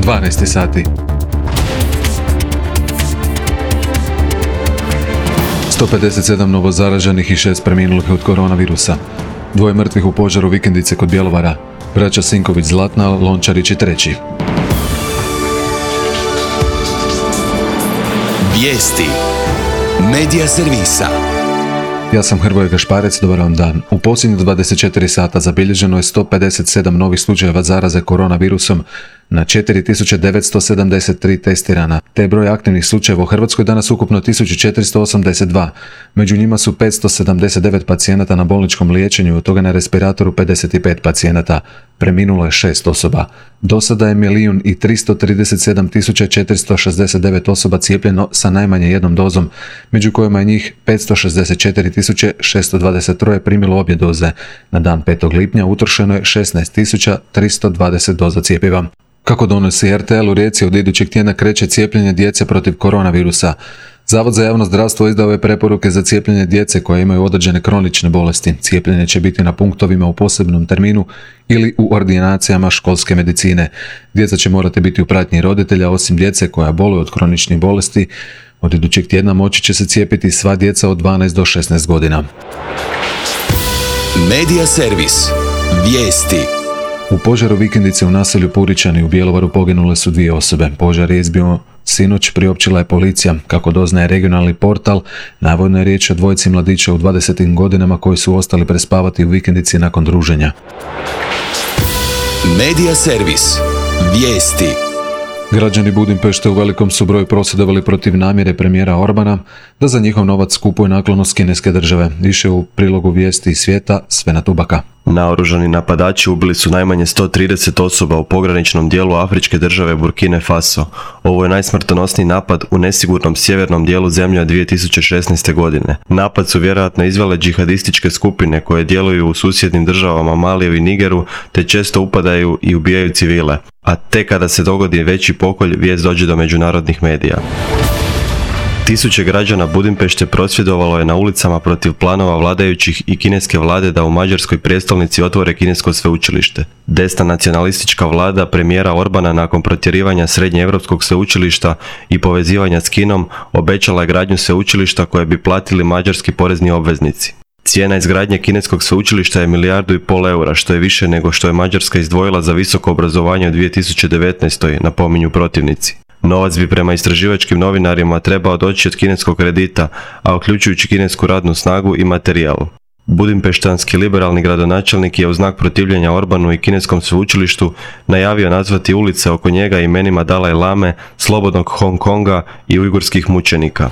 12 sati. 157 novozaraženih i 6 preminulih od koronavirusa. 2 mrtvih u požaru vikendice kod Bjelovara. Braća Sinković Zlatna, Lončarić i treći. Vijesti Medija servisa. Ja sam Hrvoje Gašparec, dobar vam dan. U posljednjih 24 sata zabilježeno je 157 novih slučajeva zaraze koronavirusom na 4973 testirana, te je broj aktivnih slučajeva u Hrvatskoj danas ukupno 1482. Među njima su 579 pacijenata na bolničkom liječenju, od toga na respiratoru 55 pacijenata. Preminulo je 6 osoba. Do sada je 1.337.469 osoba cijepljeno sa najmanje jednom dozom, među kojima je njih 564.623 primilo obje doze. Na dan 5. lipnja utrošeno je 16.320 doza cjepiva. Kako donosi RTL, u Rijeci od idućeg tjedna kreće cijepljenje djece protiv koronavirusa. Zavod za javno zdravstvo izdao je preporuke za cijepljenje djece koje imaju određene kronične bolesti. Cijepljenje će biti na punktovima u posebnom terminu ili u ordinacijama školske medicine. Djeca će morati biti u pratnji roditelja, osim djece koja boluju od kroničnih bolesti. Od idućeg tjedna moći će se cijepiti sva djeca od 12 do 16 godina. Medija servis. Vijesti. U požaru vikendice u naselju Puričani u Bjelovaru poginule su 2 osobe. Požar je izbio sinoć, priopćila je policija. Kako doznaje regionalni portal, navodno je riječ o 2 mladića u 20. godinama koji su ostali prespavati u vikendici nakon druženja. Medija servis. Vijesti. Građani Budimpešte u velikom su broju prosvjedovali protiv namjere premijera Orbana da za njihov novac kupuje naklonost kineske države. Više u prilogu vijesti iz svijeta Svena Tubaka. Naoružani napadači ubili su najmanje 130 osoba u pograničnom dijelu afričke države Burkine Faso. Ovo je najsmrtonosniji napad u nesigurnom sjevernom dijelu zemlje od 2016. godine. Napad su vjerojatno izvele džihadističke skupine koje djeluju u susjednim državama Maliju i Nigeru, te često upadaju i ubijaju civile. A te kada se dogodi veći pokolj, vijest dođe do međunarodnih medija. Tisuće građana Budimpešte prosvjedovalo je na ulicama protiv planova vladajućih i kineske vlade da u mađarskoj prijestolnici otvore kinesko sveučilište. Desna nacionalistička vlada premijera Orbana nakon protjerivanja srednjeevropskog sveučilišta i povezivanja s Kinom obećala je gradnju sveučilišta koje bi platili mađarski porezni obveznici. Cijena izgradnje kineskog sveučilišta je 1,5 milijardu eura, što je više nego što je Mađarska izdvojila za visoko obrazovanje u 2019. napominju protivnici. Novac bi prema istraživačkim novinarima trebao doći od kineskog kredita, a uključujući kinesku radnu snagu i materijal. Budimpeštanski liberalni gradonačelnik je u znak protivljenja Orbanu i kineskom sveučilištu najavio nazvati ulice oko njega imenima Dalaj Lame, slobodnog Hong Konga i ujgurskih mučenika.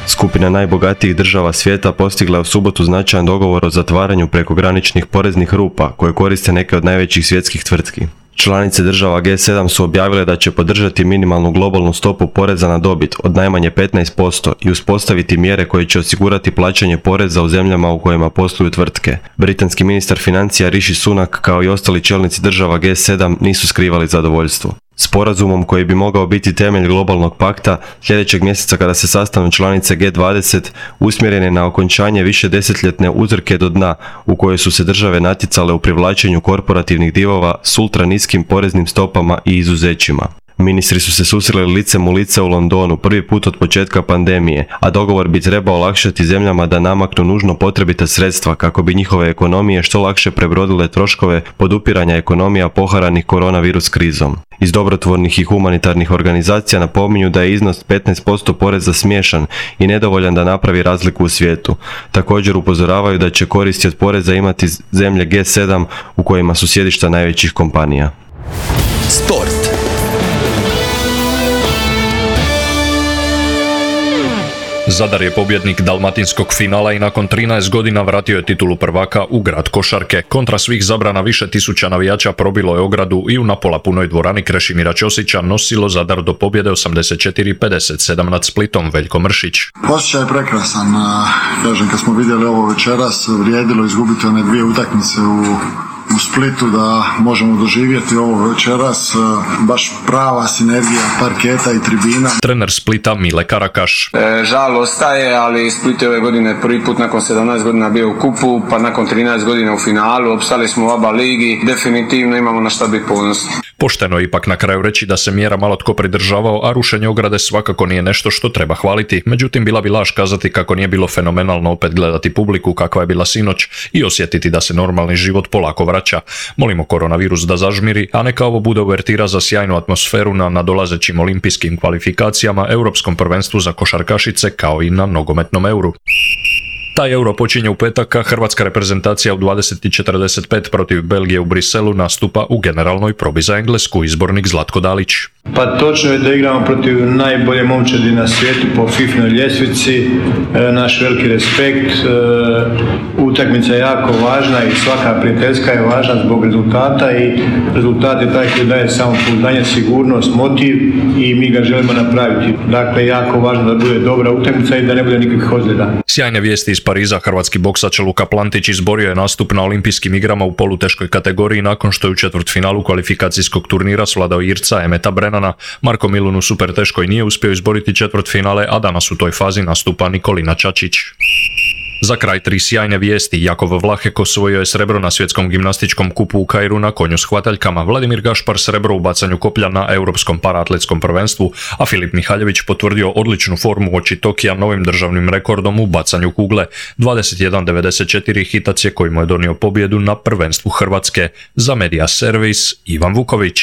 Skupina najbogatijih država svijeta postigla je u subotu značajan dogovor o zatvaranju prekograničnih poreznih rupa koje koriste neke od najvećih svjetskih tvrtki. Članice država G7 su objavile da će podržati minimalnu globalnu stopu poreza na dobit od najmanje 15% i uspostaviti mjere koje će osigurati plaćanje poreza u zemljama u kojima posluju tvrtke. Britanski ministar financija Rishi Sunak kao i ostali čelnici država G7 nisu skrivali zadovoljstvo. Sporazumom koji bi mogao biti temelj globalnog pakta, sljedećeg mjeseca kada se sastanu članice G20, usmjeren je na okončanje višedesetljetne uzrke do dna u kojoj su se države natjecale u privlačenju korporativnih divova s ultra niskim poreznim stopama i izuzećima. Ministri su se susreli licem u lice u Londonu prvi put od početka pandemije, a dogovor bi trebao olakšati zemljama da namaknu nužno potrebita sredstva kako bi njihove ekonomije što lakše prebrodile troškove podupiranja ekonomija poharanih koronavirus krizom. Iz dobrotvornih i humanitarnih organizacija napominju da je iznos 15% poreza smiješan i nedovoljan da napravi razliku u svijetu. Također upozoravaju da će koristi od poreza imati zemlje G7 u kojima su sjedišta najvećih kompanija. Sport. Zadar je pobjednik dalmatinskog finala i nakon 13 godina vratio je titulu prvaka u grad košarke. Kontra svih zabrana više tisuća navijača probilo je ogradu i u napola punoj dvorani Krešimira Ćosića nosilo Zadar do pobjede 84-57 nad Splitom. Veljko Mršić. Osjećaj je prekrasan. Kažem, kad smo vidjeli ovo večeras, vrijedilo izgubiti one 2 utakmice u u Splitu da možemo doživjeti ovo večeras, baš prava sinergija parketa i tribina. Trener Splita Mile Karakaš. Žal ostaje, ali Split je ove godine prvi put nakon 17 godina bio u kupu, pa nakon 13 godina u finalu, opstali smo u ABA ligi, definitivno imamo na šta biti ponosni. Pošteno je ipak na kraju reći da se mjera malo tko pridržavao, a rušenje ograde svakako nije nešto što treba hvaliti. Međutim, bila bi laž kazati kako nije bilo fenomenalno opet gledati publiku kakva je bila sinoć i osjetiti da se normalni život polako vraća. Molimo koronavirus da zažmiri, a neka ovo bude uvertira za sjajnu atmosferu na nadolazećim olimpijskim kvalifikacijama, Europskom prvenstvu za košarkašice kao i na nogometnom Euru. Taj Euro počinje u petak, a hrvatska reprezentacija u 20:45 protiv Belgije u Briselu nastupa u generalnoj probi za Englesku, izbornik Zlatko Dalić. Pa točno je da igramo protiv najbolje momčadi na svijetu po FIFA-noj ljestvici, naš veliki respekt, utakmica je jako važna i svaka prijateljska je važna zbog rezultata i rezultat je taj koji daje samopouzdanje, sigurnost, motiv i mi ga želimo napraviti. Dakle, jako važno da bude dobra utakmica i da ne bude nikakvih ozljeda. Sjajne vijesti iz Pariza, hrvatski boksač Luka Plantić izborio je nastup na olimpijskim igrama u poluteškoj kategoriji nakon što je u četvrtfinalu kvalifikacijskog turnira svladao Irca Emeta Brenana. Marko Milun u superteškoj nije uspio izboriti četvrtfinale, a danas u toj fazi nastupa Nikolina Čačić. Za kraj 3 sjajne vijesti. Jakov Vlahek osvojio je srebro na svjetskom gimnastičkom kupu u Kairu na konju s hvataljkama, Vladimir Gašpar srebro u bacanju koplja na Europskom paraatletskom prvenstvu, a Filip Mihaljević potvrdio odličnu formu uoči Tokija novim državnim rekordom u bacanju kugle. 21:94 hitac je koji mu je donio pobjedu na prvenstvu Hrvatske. Za Media Servis, Ivan Vuković.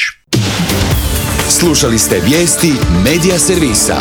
Slušali ste vijesti Media Servisa.